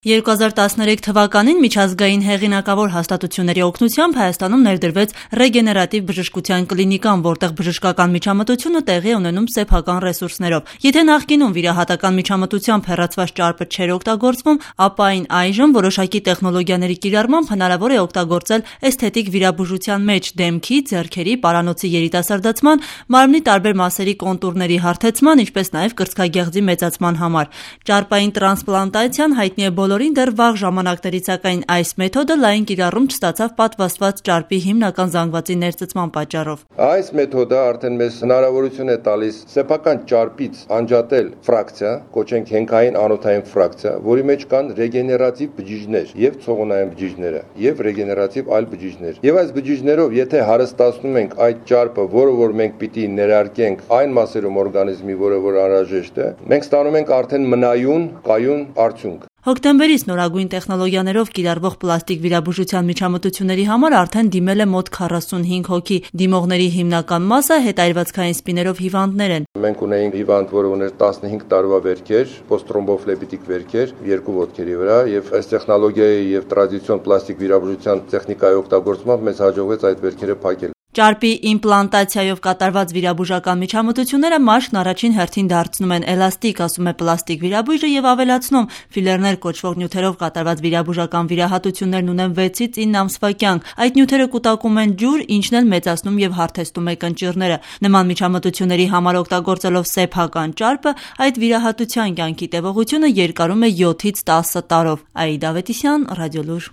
2013 թվականին միջազգային հեղինակավոր հաստատությունների օգնությամբ Հայաստանում ներդրվեց ռեգեներատիվ բժշկության կլինիկան, որտեղ բժշկական միջամտությունը տեղի է ունենում սեփական ռեսուրսներով։ Եթե նախկինում վիրահատական միջամտությամբ հեռացված ճարպը չէր օգտագործվում, ապա այն այժմ որոշակի տեխնոլոգիաների կիրառմամբ հնարավոր է օգտագործել էսթետիկ վիրաբուժության մեջ դեմքի, ձեռքերի, պարանոցի երիտասարդացման, մարմնի տարբեր մասերի կոնտուրների հարթեցման, ինչպես նաև կրծքագեղձի մեծացման համար։ Ճարպային տրանսպլանտացիան հայտնի է բոլորին դեռ վաղ ժամանակներից, սակայն այս մեթոդը լայն կիրառում չստացավ պատվաստված ճարպի հիմնական զանգվածի ներծծման պատճառով։ Այս մեթոդը արդեն մեզ հնարավորություն է տալիս սեփական ճարպից անջատել ֆրակցիա, կոչենք հենքային անոթային ֆրակցիա, որի մեջ կան ռեգեներատիվ բջիջներ եւ ցողունային բջիջները եւ ռեգեներատիվ այլ բջիջներ։ Եվ այս բջիջներով եթե հարստացնում ենք այդ ճարպը, որը որ մենք պիտի ներարկենք այն մասերում օրգանիզմի, որը որ անհրաժեշտ է, մենք ստանում ենք արդեն մնայուն, կայուն արդյունք։ Հոկտեմբերից նորագույն տեխնոլոգիաներով կիրառվող պլաստիկ վիրաբուժության միջամտությունների համար արդեն դիմել է մոտ 45 հոգի։ Դիմողների հիմնական մասը հետայրվածքային սպիներով հիվանդներ են։ Մենք ունեինք հիվանդ, որը ուներ 15 տարվա վերքեր, պոստտրոմբոֆլեբիտիկ վերքեր, երկու ոտքերի վրա, եւ այս տեխնոլոգիայի եւ տրադիցիոն պլաստիկ վիրաբուժության տեխնիկայի օգտագործմամբ մեզ հաջողվեց այդ վերքերը փակել։ Ճարպի իմպլանտացիայով կատարված վիրաբուժական միջամտությունները մաշկն առաջին հերթին դարձնում են էլաստիկ, ասում է պլաստիկ վիրաբույժը եւ ավելացնում. ֆիլերներ կոչվող նյութերով կատարված վիրաբուժական վիրահատություններն ունեն 6-ից 9 ամսվա կյանք։ Այդ նյութերը կուտակում են ջուր, ինչն էլ մեծացնում եւ հարթեցնում է կնճիռները։ Նման միջամտությունների համար օգտագործելով սեփական ճարպը, այդ վիրահատության կյանքի տևողությունը երկարում է 7-ից 10 տարով։ Աիդա Ավետիսյան, Ռադիոլուր։